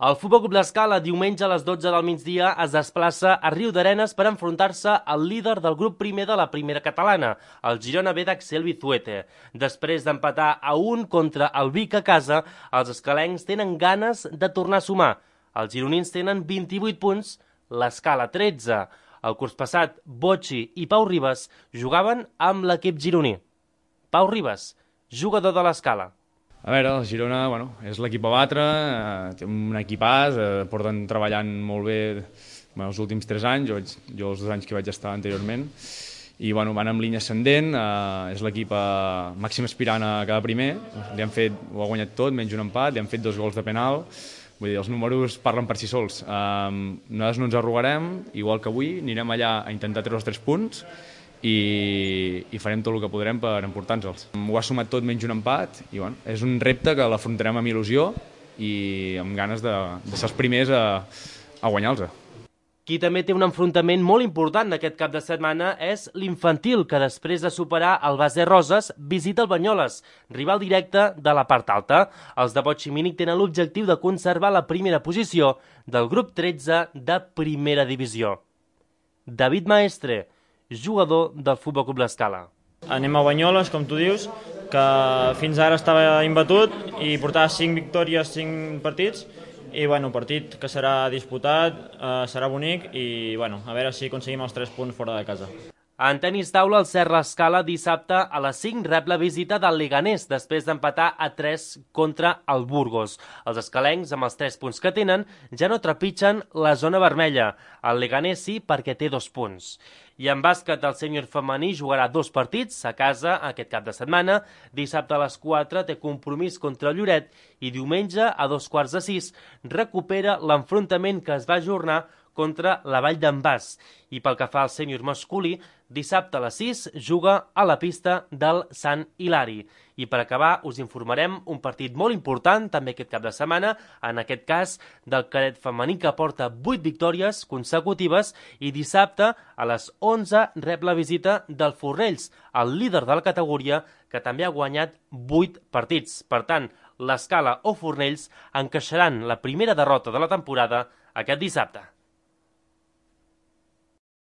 El Futbol Club l'Escala diumenge a les 12 del migdia es desplaça a Riudarenes per enfrontar-se al líder del grup primer de la primera catalana, el Girona B d'Axel Vizuete. Després d'empatar a 1 contra el Vic a casa, els escalencs tenen ganes de tornar a sumar. Els gironins tenen 28 punts, l'Escala 13. El curs passat, Bocci i Pau Ribas jugaven amb l'equip gironí. Pau Ribas, jugador de l'Escala. A veure, el Girona és l'equip a batre, té un equipàs, porten treballant molt bé els últims 3 anys, jo els 2 anys que vaig estar anteriorment, i van en línia ascendent, és l'equip màxim aspirant a cada primer, ho ha guanyat tot, menys un empat, li han fet 2 gols de penal, vull dir, els números parlen per si sols. Nosaltres no ens arrugarem, igual que avui, anirem allà a intentar treure els 3 punts, i farem tot el que podrem per emportar-nos-els. Ho ha sumat tot menys un empat i és un repte que l'afrontarem amb il·lusió i amb ganes de ser els primers a guanyar-los. Qui també té un enfrontament molt important aquest cap de setmana és l'infantil, que després de superar el Base Roses visita el Banyoles, rival directe de la part alta. Els de Bocci Mínic tenen l'objectiu de conservar la primera posició del grup 13 de primera divisió. David Maestre, jugador del Futbol Club l'Escala. Anem a Banyoles, com tu dius, que fins ara estava imbatut i portava 5 victòries, 5 partits, i partit que serà disputat, serà bonic i a veure si aconseguim els 3 punts fora de casa. En tenis taula, el Cert l'Escala dissabte a les 5 rep la visita del Leganés després d'empatar a 3 contra el Burgos. Els escalencs, amb els 3 punts que tenen, ja no trepitgen la zona vermella. El Leganés sí, perquè té 2 punts. I en bàsquet, el sènior femení jugarà 2 partits a casa aquest cap de setmana. Dissabte a les 4 té compromís contra el Lloret i diumenge a 5:15 recupera l'enfrontament que es va ajornar contra la Vall d'en Bas. I pel que fa al sènior masculí, dissabte a les 6 juga a la pista del Sant Hilari. I per acabar us informarem un partit molt important també aquest cap de setmana, en aquest cas del cadet femení que porta 8 victòries consecutives i dissabte a les 11 rep la visita del Fornells, el líder de la categoria que també ha guanyat 8 partits. Per tant, l'Escala o Fornells encaixaran la primera derrota de la temporada aquest dissabte.